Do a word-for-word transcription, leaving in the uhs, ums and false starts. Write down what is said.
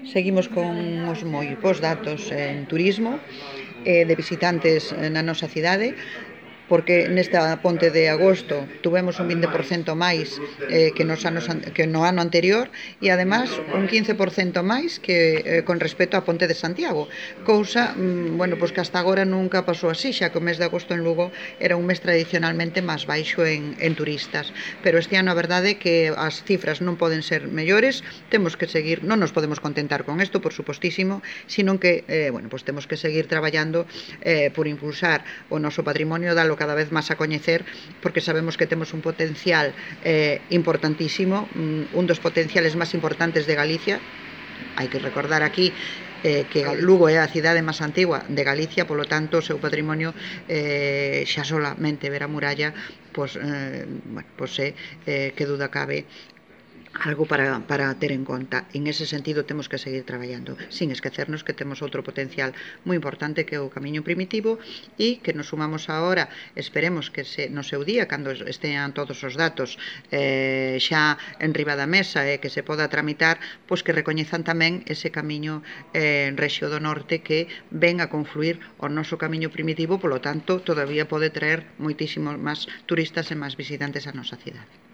Seguimos con os moi bons datos en turismo, eh, de visitantes na nosa cidade, porque nesta ponte de agosto tuvemos un vinte por cento máis eh, que, nos anos, que no ano anterior e además un quince por cento máis que eh, con respecto á ponte de Santiago, cousa mm, bueno, pois que hasta agora nunca pasou así, xa que o mes de agosto en Lugo era un mes tradicionalmente máis baixo en, en turistas, pero este ano a verdade é que as cifras non poden ser mellores, temos que seguir, non nos podemos contentar con isto, por supostísimo, sino que eh, bueno, pois temos que seguir traballando eh, por impulsar o noso patrimonio, dalo cada vez máis a coñecer, porque sabemos que temos un potencial eh, importantísimo, un dos potenciales máis importantes de Galicia. Hai que recordar aquí eh, que Lugo é a cidade máis antigua de Galicia, polo tanto o seu patrimonio eh, xa solamente ver a muralla pois, eh, bueno, pois é, eh, que duda cabe, algo para, para ter en conta. En ese sentido temos que seguir traballando, sin esquecernos que temos outro potencial moi importante que é o camiño primitivo e que nos sumamos agora, esperemos que se, no seu día, cando estean todos os datos eh, xa en riba da mesa e eh, que se poda tramitar, pois que recoñezan tamén ese camiño eh, en Rexio do Norte que ven a confluir o noso camiño primitivo, polo tanto todavía pode traer moitísimos máis turistas e máis visitantes a nosa cidade.